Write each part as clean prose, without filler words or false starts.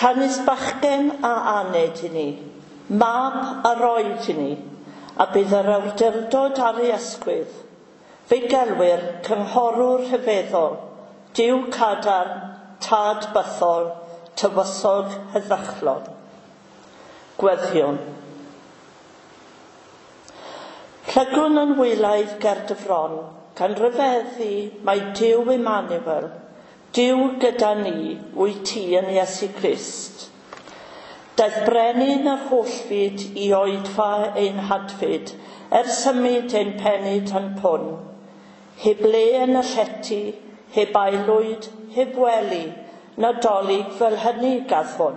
Canys bachgen a aned i ni, mab a roed i ni, a bydd yr awdurdod ar ei ysgwydd. Fe'i gelwir cynghorwr rhyfeddol, Duw cadarn, tad bythol, tywysog heddychlon. Gweddïwn. Plygwn yn wylaidd ger dy fron, gan ryfeddu mai Duw Emmanuel, Duw gyda ni, wyt ti yn Iesu Grist. Daeth brenin yr holl fyd i oedfa ein hadfyd, er symud ein penyd a'n pwn. Heb le yn y llety, heb aelwyd, heb wely, Nadolig fel hynny gath hwn.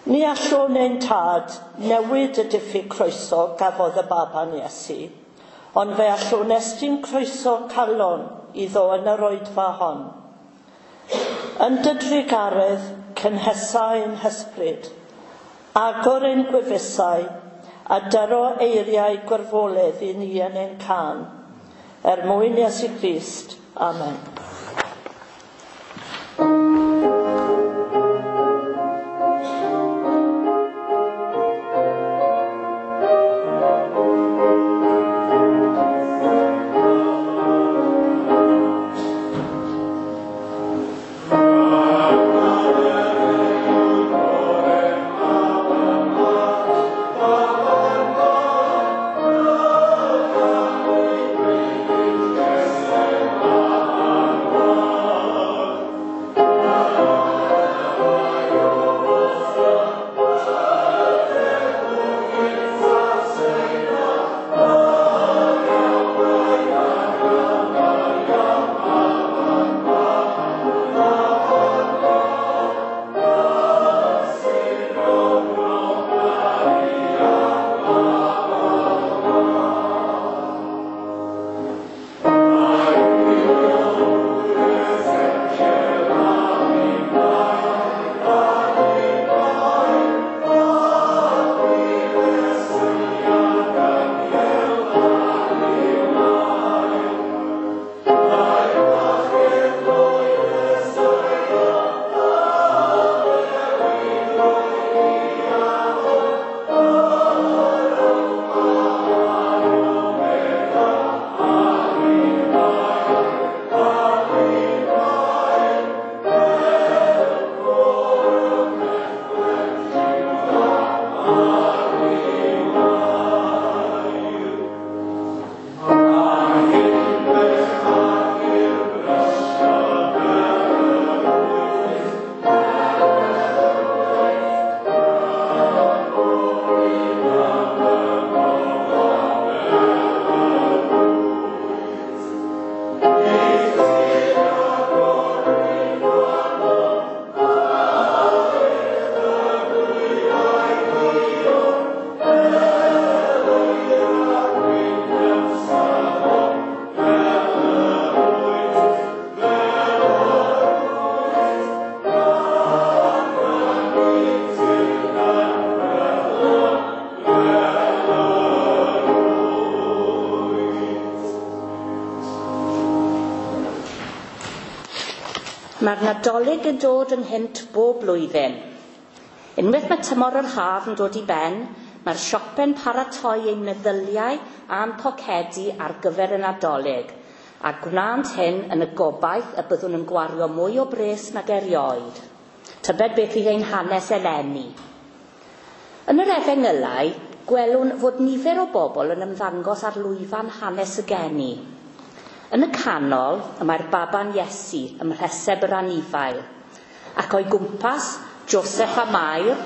Ni allwn ein tad newid y diffyg croeso gafodd y baban Iesu, ond fe allwn estyn croeso calon iddo yn yr oedfa hon. Yn dy drugaredd, cynhesa ein hysbryd, agor ein gwefusau, a dyro eiriau gwirfoledd i ni yn ein cân. Er mwyn Iesu Grist. Amen. Mae'r Nadolig yn dod ynghynt bob blwyddyn. Unwaith mae tymor yr haf yn dod i ben, mae'r siope'n paratoi ein meddyliau a'n pocedi ar gyfer y Nadolig, a gwnânt hyn yn y gobaith y byddwn yn gwario mwy o bres nag erioed. Tybed beth fydd ein hanes eleni. Yn yr Efengylau, gwelwn fod nifer o bobl yn ymddangos ar lwyfan hanes y geni. Yn y canol, y mae'r baban Iesu ym mhreseb yr anifail, ac o'i gwmpas Joseph a Mair,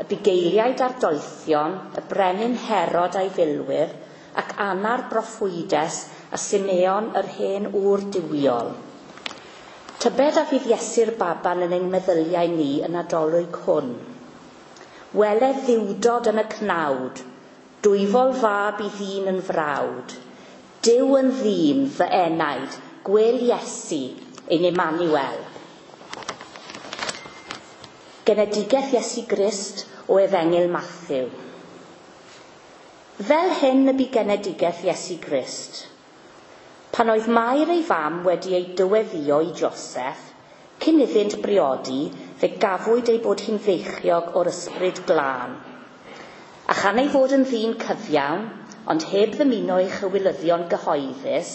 y bugeiliaid a'r doethion, y brenin Herod a'i filwyr, ac Anna'r broffwydes a Simeon yr hen ŵr duwiol. Tybed a fydd Iesu'r baban yn ein meddyliau ni yn Nadolig hwn. Wele ddiwdod yn y cnawd, dwyfol fab i ddyn yn frawd, Duw yn ddyn fy enaid, gwel Iesu, ein Emmanuel. Genedigaeth Iesu Grist o Efengyl Matthew. Fel hyn y bu genedigaeth Iesu Grist. Pan oedd Mair ei fam wedi ei dyweddio i Joseph, cyn iddynt briodi, fe gafwyd ei bod hi'n feichiog o'r ysbryd glân. A chan ei fod yn ddyn cyfiawn, ond heb ddymuno ei chywilyddion gyhoeddus,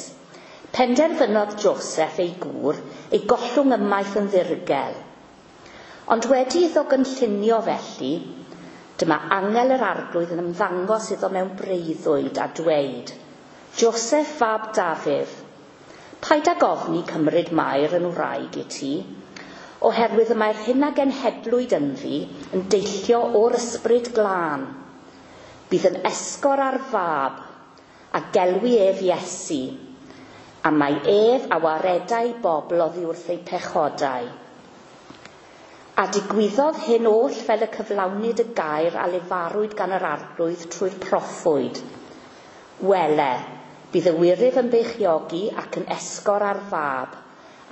penderfynodd Joseph ei gŵr ei gollwng ymaith yn ddirgel. Ond wedi iddo gynllunio felly, dyma angel yr arglwydd yn ymddangos iddo mewn breuddwyd a dweud, Joseph fab Dafydd, paid ag ofni cymryd Mair yn wraig i ti, oherwydd y mae'r hyn a genhedlwyd ynddi yn deillio o'r ysbryd glân. Bydd yn esgor ar fab, a gelwi ef Iesu, a mae ef a waredai bobl oddi wrth eu pechodau. A digwyddodd hyn oll fel y cyflawnid y gair a lefarwyd gan yr arglwydd trwy'r proffwyd. Wele, bydd y wyryf yn beichiogi ac yn esgor ar fab,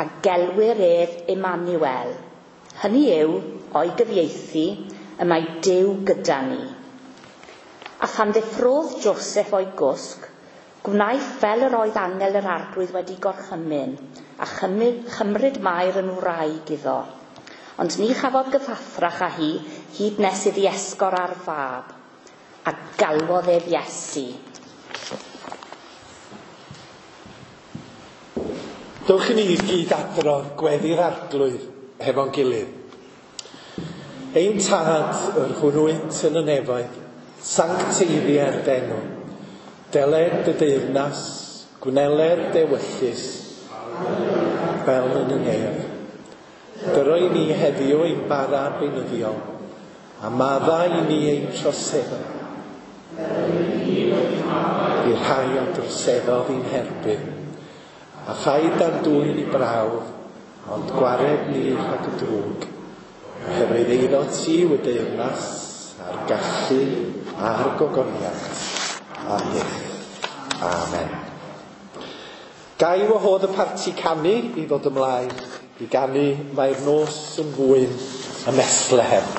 a gelwir ef Emmanuel. Hynny yw, o'i gyfieithu, y mae Duw gyda ni. A phan ddeffrodd Joseph o'i gwsg, gwnaeth fel yr oedd angel yr arglwydd wedi gorchymyn, a chymryd Mair yn wraig iddo. Ond ni chafodd gyfathrach â hi hyd nes iddi esgor ar fab, a galwodd ef Iesu. Dewch i ni gyd adrodd gweddi'r arglwydd hefo'n gilydd. Ein tad, yr hwn wyt yn y nefoedd, sancteiddier d'enw. Deled dy deyrnas, gwneled d'ewyllys, fel yn y nef. Dyro i ni heddiw ein bara beunyddiol, a madda i ni ein troseddau. I'r rhai a droseddodd i'n herbyn, a phaid â'n dwyn i brawf, ond gwared ni rhag y drwg, oherwydd eiddo ti yw y deyrnas, a'r gallu, a'r gogoniant, am byth. Amen. Gai wahodd y parti canu i ddod ymlaen i ganu Mae'r nos yn fwyn ym Methlehem.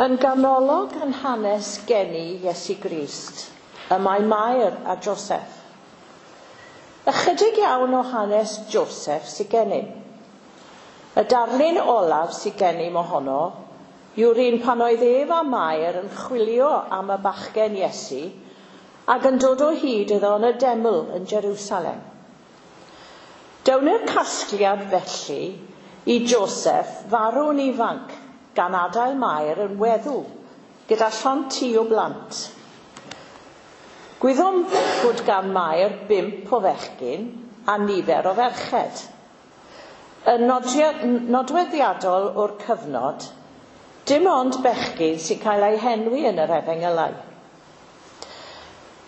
Yn ganolog yn hanes geni Iesu Grist, y mae Mair a Joseph. Ychydig iawn o hanes Joseph sydd gennym. Y darlun olaf sydd gennym ohono yw'r un pan oedd ef a Mair yn chwilio am y bachgen Iesu ac yn dod o hyd iddo yn y deml yn Jerusalem. Down i'r casgliad felly i Joseph farw'n ifanc gan adael Mair yn weddw gyda llond tŷ o blant. Gwyddom fod gan Mair 5 o fechgyn a nifer o ferched. Yn nodweddiadol o'r cyfnod, dim ond bechgyn sy'n cael eu henwi yn yr Efengylau.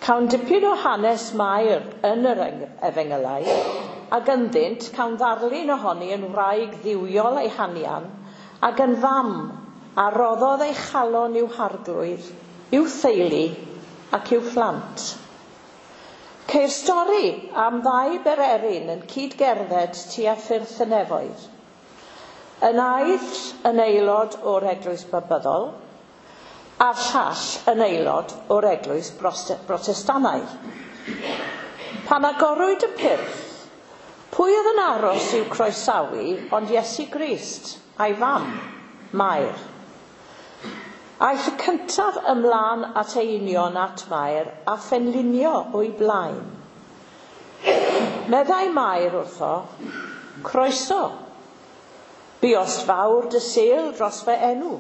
Cawn dipyn o hanes Mair yn yr Efengylau, ac ynddynt cawn ddarlun ohoni yn wraig dduwiol ei hanian ac yn fam a roddodd ei chalon i'w harglwydd, i'w theulu ac i'w phlant. Ceir stori am ddau bererin yn cydgerdded tua ffyrdd y nefoedd. Y naill yn aelod o'r Eglwys Babyddol, a'r llall yn aelod o'r Eglwys Brotestannaidd. Pan agorwyd y pyrth, pwy oedd yn aros i'w croesawu ond Iesu Grist a'i fam, Mair? Aeth y cyntaf ymlaen at ei union at Mair a phenlinio o'i blaen. Meddai Mair wrtho, "Croeso, buost fawr dy sêl dros fy enw,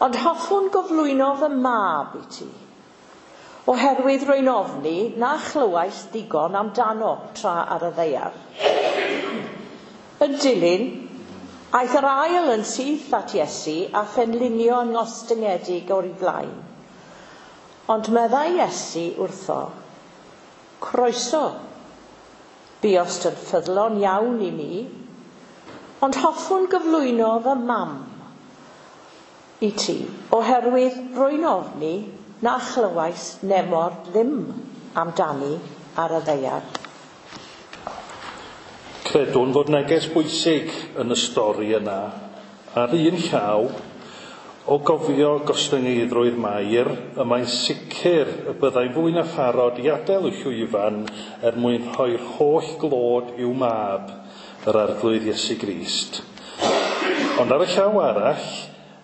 ond hoffwn gyflwyno fy mab i ti, oherwydd rwy'n ofni na chlywais ddigon amdano tra ar y ddaear." Yn dilyn, aeth yr ail yn syth at Iesu a phenlinio yn ngostyngedig o'i flaen. Ond meddai Iesu wrtho, "Croeso, buost yn ffyddlon iawn i mi, ond hoffwn gyflwyno fy mam i ti, oherwydd rwy'n ofni na chlywais nemor ddim amdani ar y ddaear." Credwn fod neges bwysig yn y stori yna. Ar un llaw, o gofio gostyngeiddrwydd Mair, y mae'n sicr y byddai fwy na pharod i adael y llwyfan er mwyn rhoi'r holl glod i'w mab, yr Arglwydd Iesu Grist. Ond ar y llaw arall,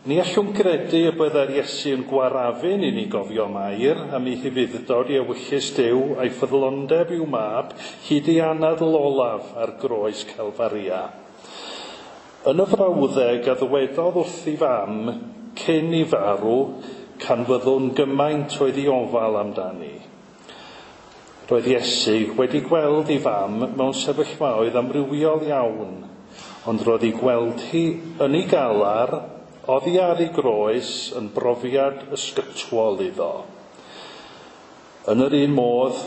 ni allwn gredu y byddai'r Iesu yn gwarafun i ni gofio Mair am ei hufudd-dod i ewyllys Duw a'i ffyddlondeb i'w mab hyd ei anadl olaf ar groes Calfaria. Yn y frawddeg a ddywedodd wrth ei fam cyn i farw, canfyddwn gymaint oedd ei ofal amdani. Roedd Iesu wedi gweld ei fam mewn sefyllfaoedd amrywiol iawn, ond roedd ei gweld hi yn ei galar oddi ar ei groes yn brofiad ysgytwol iddo. Yn yr un modd,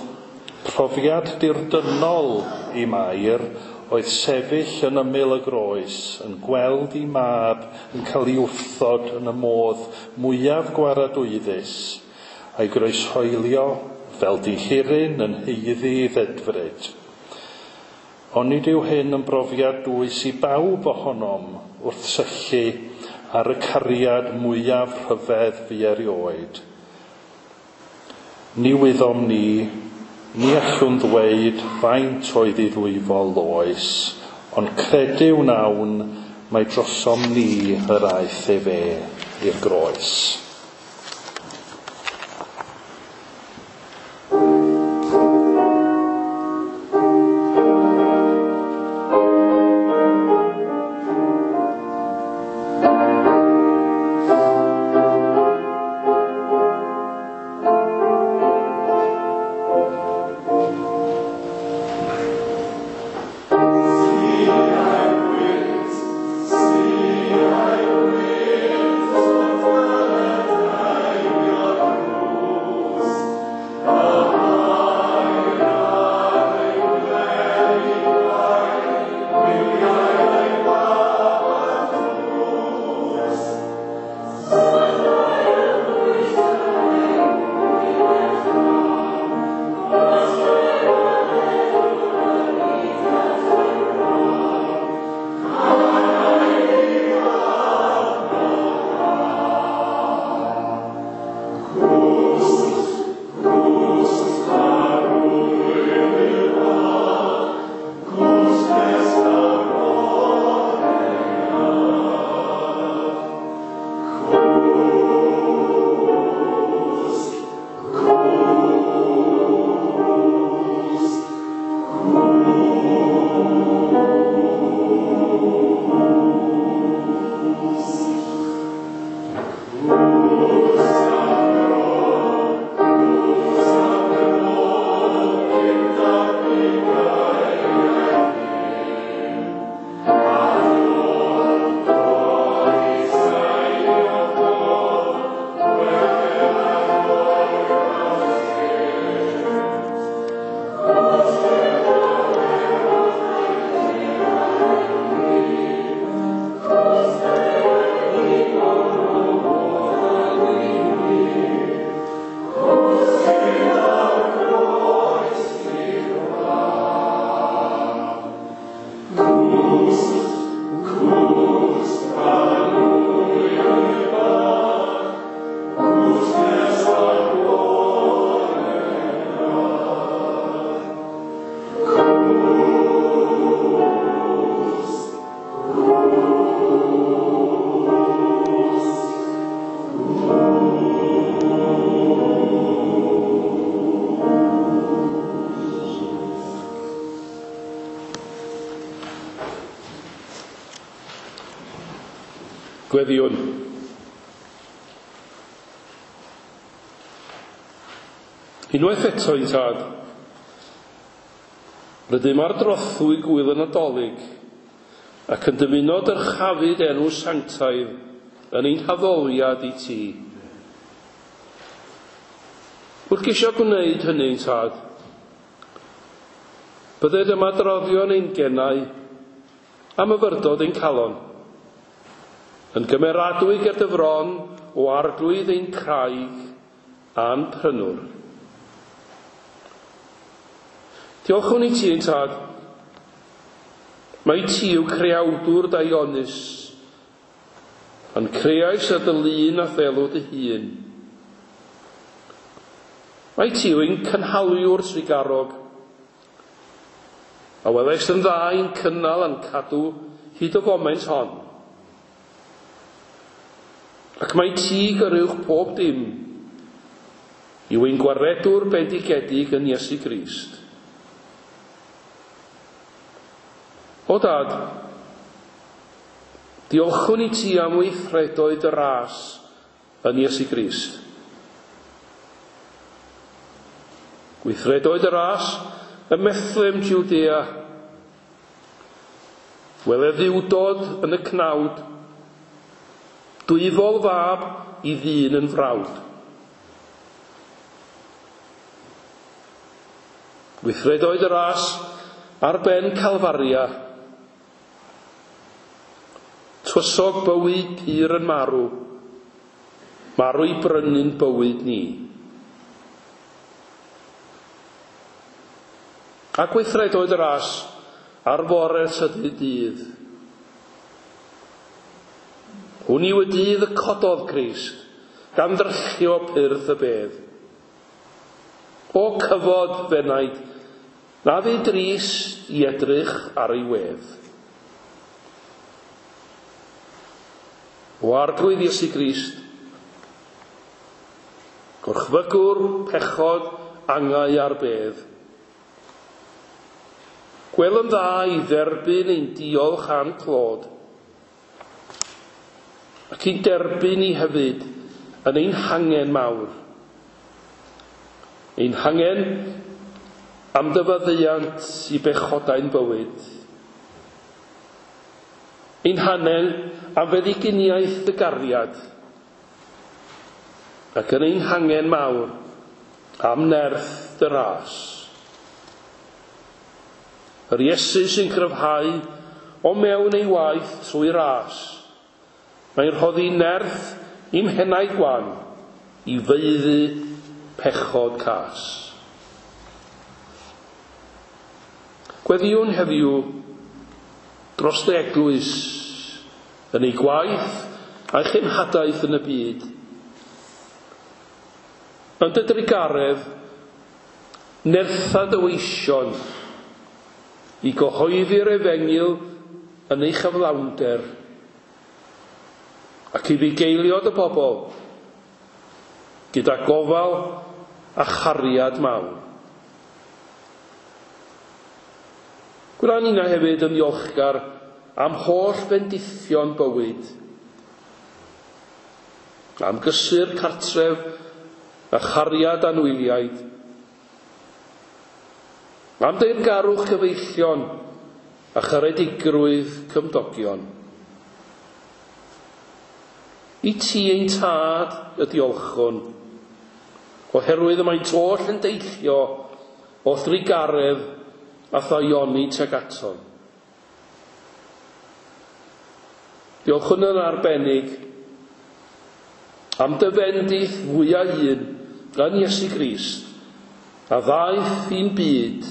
profiad dirdynnol i Mair oedd sefyll yn ymyl y groes, yn gweld ei mab yn cael ei wrthod yn y modd mwyaf gwaradwyddus, a'i groeshoelio fel dihiryn yn haeddu ei ddedfryd. Ond nid yw hyn yn brofiad dwys i bawb ohonom wrth syllu ar y cariad mwyaf rhyfedd fu erioed. Ni wyddom ni, ni allwn ddweud faint oedd ei ddwyfol oes, ond credu wnawn mai drosom ni yr aeth efe i'r groes. See I wait, Gweddïwn. Unwaith eto, ein Tad, rydym ar drothwy gŵyl y Nadolig ac yn dymuno dyrchafu dy enw sanctaidd yn ein haddoliad i ti. Wrth geisio gwneud hynny, ein Tad, bydded ymadroddion ein genau a myfyrdod ein calon, yn gymeradwy ger dy fron o Arglwydd ein craig a'n prynwr. Diolchwn i ti, ein Tad, mai ti yw creawdwr daionus, a'n creais ar dy lun a ddelw dy hun. Mai ti yw ein cynhaliwr trugarog, a welaist yn dda i'n cynnal a'n cadw hyd y foment hon. Ac mai ti gyruwch pob dim yw ein gwaredwr bendigedig yn Iesu Grist. O Dad, diolchwn i ti am weithredoedd dy ras yn Iesu Grist. Gweithredoedd dy ras ym Methlehem, Judea. Wele dduwdod yn y cnawd, dwyfol fab i ddyn yn frawd. Gweithredoedd y ras ar ben Calfaria, tywysog bywyd pur yn marw, marw i brynu'n bywyd ni. A gweithredoedd y ras ar fore trydydd dydd. Hwn yw y dydd y cododd Crist, gan ddryllio pyrth y bedd. O cyfod f'enaid, na fu drist i edrych ar ei wedd. O Arglwydd Iesu Grist, gorchfygwr pechod angau a'r bedd, gwel yn dda i dderbyn ein diolch a'n clod, ac i'n derbyn ni hefyd yn ein hangen mawr. Ein hangen am dy faddeuant i bechodau'n bywyd. Ein hangen am feddyginiaeth dy gariad, ac yn ein hangen mawr am nerth dy ras. Yr Iesu sy'n cryfhau o mewn ei waith trwy ras. Mae'n rhoddi nerth i'm henaid gwan i faeddu pechod cas. Gweddïwn heddiw dros dy eglwys yn ei gwaith a'i chenhadaeth yn y byd. Yn dy drugaredd, nertha dy weision i gyhoeddi'r efengyl yn ei chyflawnder, ac i fugeilio dy bobl gyda gofal a chariad mawr. Gwna ninna hefyd yn ddiolchgar am holl fendithion bywyd, am gysur cartref a chariad anwyliaid, am deyrngarwch cyfeillion a charedigrwydd cymdogion. I ti ein Tad y diolchwn, oherwydd y maent oll yn deillio o thrugaredd a thaioni tuag atom. Diolchwn yn arbennig am dy fendith fwyaf un yn Iesu Grist, a ddaeth i'n byd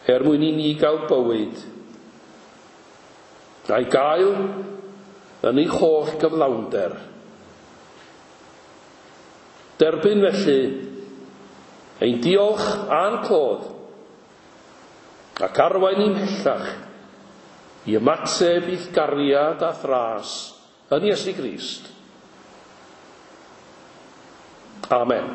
er mwyn i ni gael bywyd, a'i gael yn ei holl gyflawnder. Derbyn felly ein diolch a'n clod, ac arwain ni'n mhellach i ymateb i'th gariad a thras yn Iesu Grist. Amen.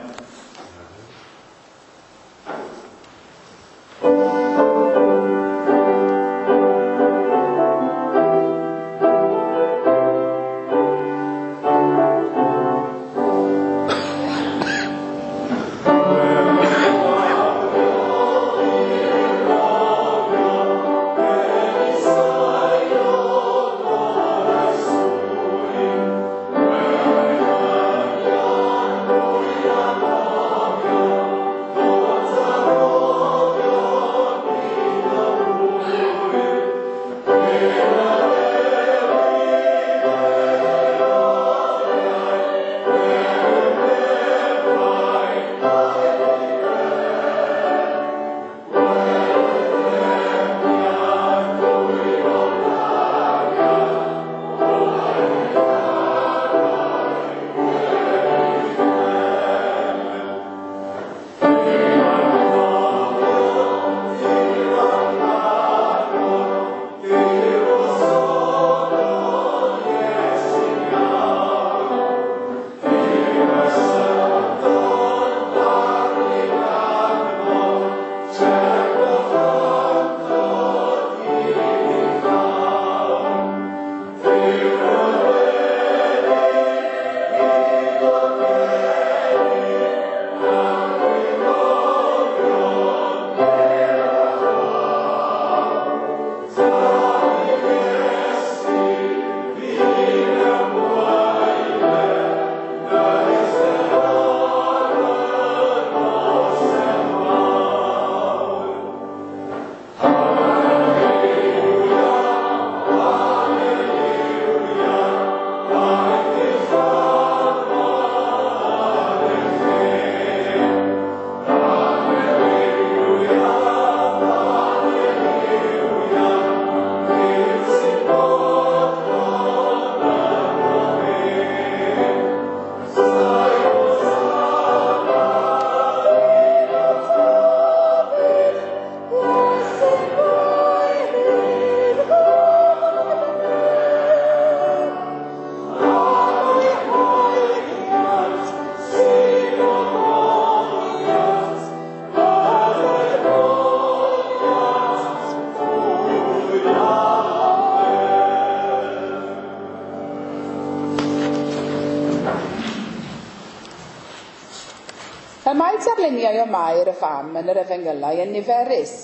darluniau o Mair y fam yn yr efengylau yn niferus,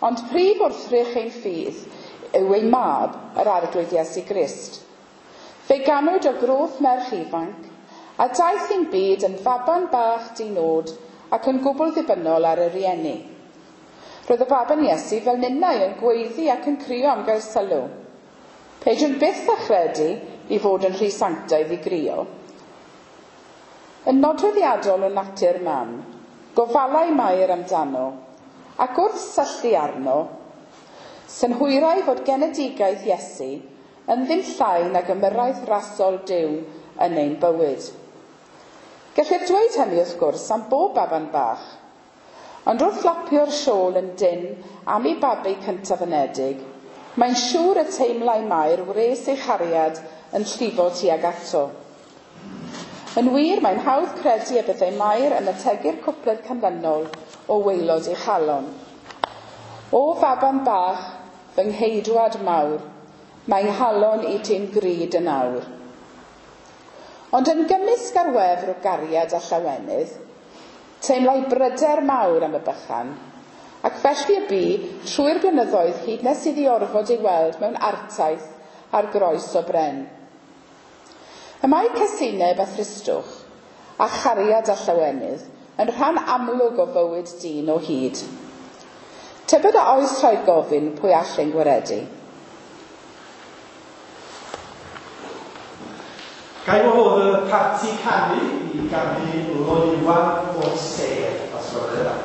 ond prif wrthrych ein ffydd yw ei mab, yr Arglwydd Iesu Grist. Fe ganwyd o groth merch ifanc, a daeth i'n byd yn faban bach di-nod ac yn gwbl ddibynnol ar y rieni. Roedd y baban Iesu fel ninnau yn gweiddi ac yn crio am gael sylw. Peidiwn byth â chredu i fod yn rhy sanctaidd i grio. Yn nodweddiadol o natur mam, gofalai Mair amdano, ac wrth syllu arno, synhwyrai fod genedigaeth Iesu yn ddim llai nag ymyrraeth rasol Duw yn ein bywyd. Gellir dweud hynny wrth gwrs am bob baban bach, ond wrth lapio'r siôl yn dynn am ei babi cyntaf anedig, mae'n siŵr y teimlai Mair wres ei chariad yn llifo tuag ato. Yn wir, mae'n hawdd credu y byddai Mair yn ategu'r cwpled canlynol o waelod ei chalon. O faban bach, fy ngheidwad mawr, mae nghalon i ti'n gryd yn awr. Ond yn gymysg ar wefr o gariad a llawenydd, teimlai bryder mawr am y bychan, ac felly y bu trwy'r blynyddoedd hyd nes iddi orfod ei weld mewn artaith ar groes o bren. Y mae casineb a thristwch, a chariad a llawenydd, yn rhan amlwg o fywyd dyn o hyd. Tybed a oes rhaid gofyn pwy all ein gwaredu? Ga i wahodd y parti canu i ganu Loewan o'r Sêr, os gwelwch yn dda.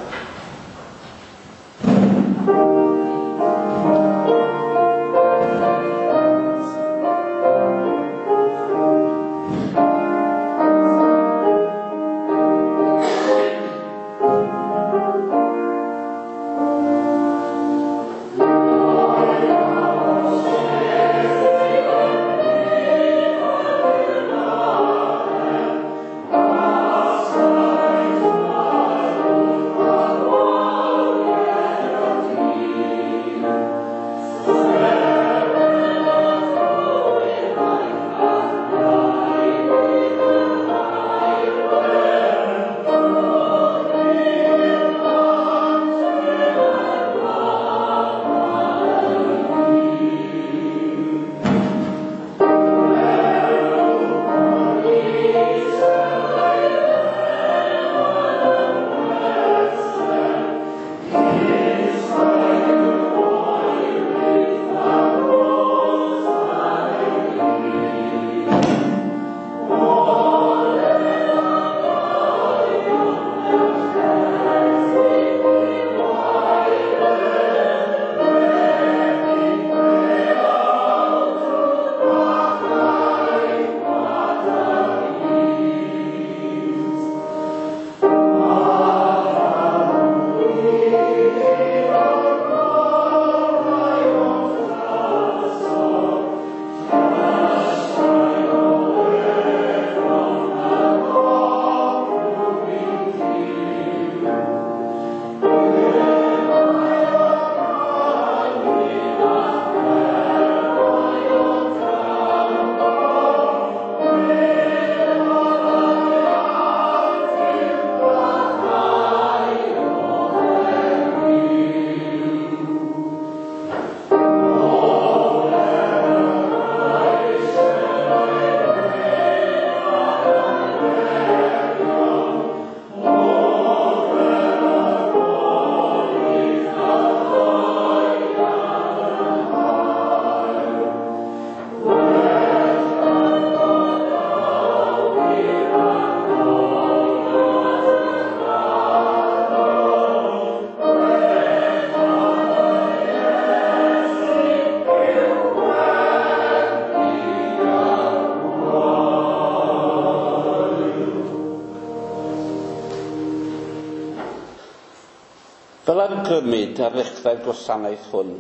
Fel awgrymid ar ddechrau'r gwasanaeth hwn,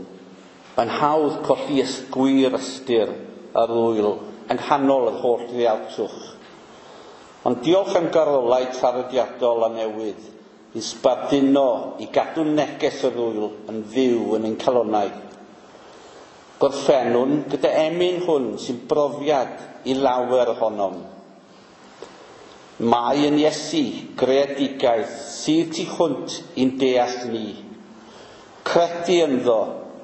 mae'n hawdd colli gwir ystyr yr ŵyl yng nghanol yr holl ddialtwch. Ond diolch am garolau traddodiadol a newydd i sbarduno i gadw neges yr ŵyl yn fyw yn ein calonnau. Gorffennwn gyda emyn hwn sy'n brofiad i lawer ohonom. Mae yn Iesu greadigaeth sydd tu hwnt i'n deall ni. Credu ynddo,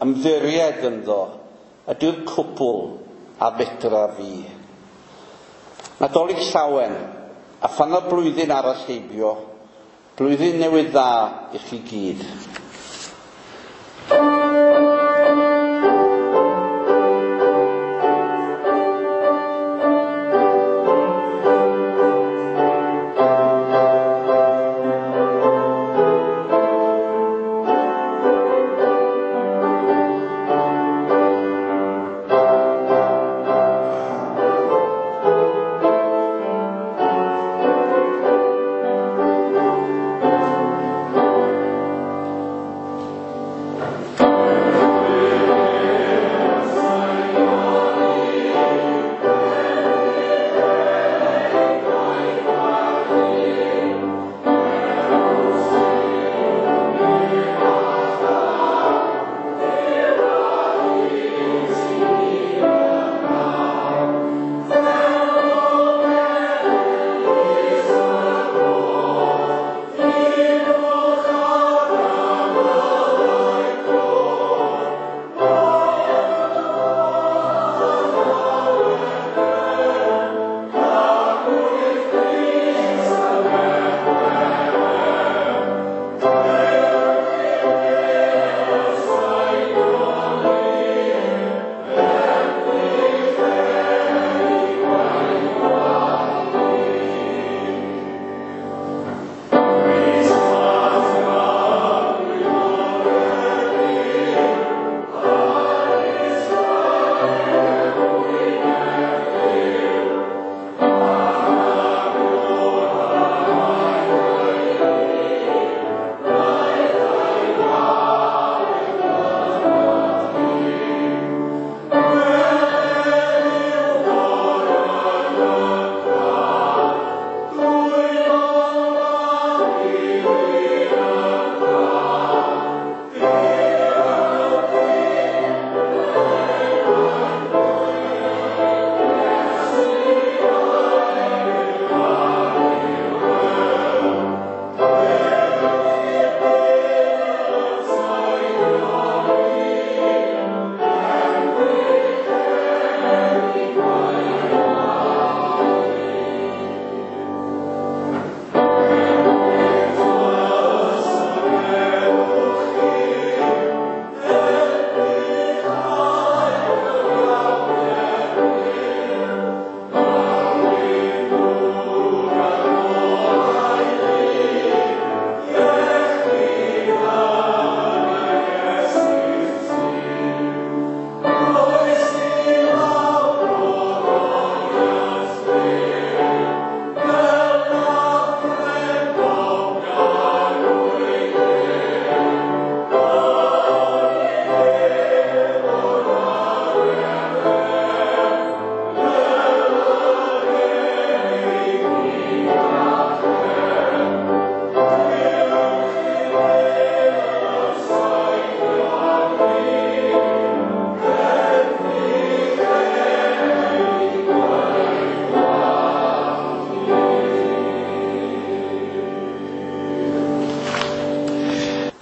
ymddiried ynddo, ydy'r cwbl a fedra fi. Nadolig llawen, a phan y blwyddyn arall heibio, blwyddyn newydd dda i chi gyd.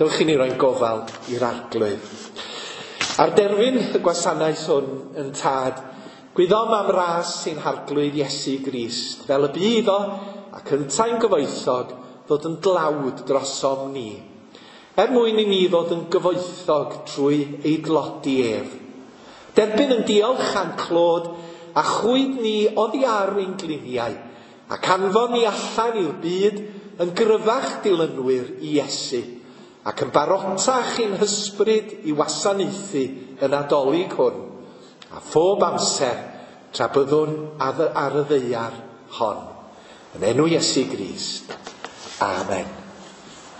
Dewch i ni roi'n gofal i'r Arglwydd. Ar derfyn y gwasanaeth hwn yn tad, gwyddom am ras sy'n harglwydd Iesu Grist, fel y bu iddo ac yntau'n gyfoethog ddod yn dlawd drosom ni, er mwyn i ni ddod yn gyfoethog trwy ei dlodi ef. Derbyn yn diolch a'n clod a chwyd ni oddi ar ein gliniau, ac anfon ni allan i'r byd yn gryfach dilynwyr i Iesu, ac yn barotach i'n hysbryd i wasanaethu y Nadolig hwn, a phob amser tra byddwn ar y ddaear hon. Yn enw Iesu Grist. Amen.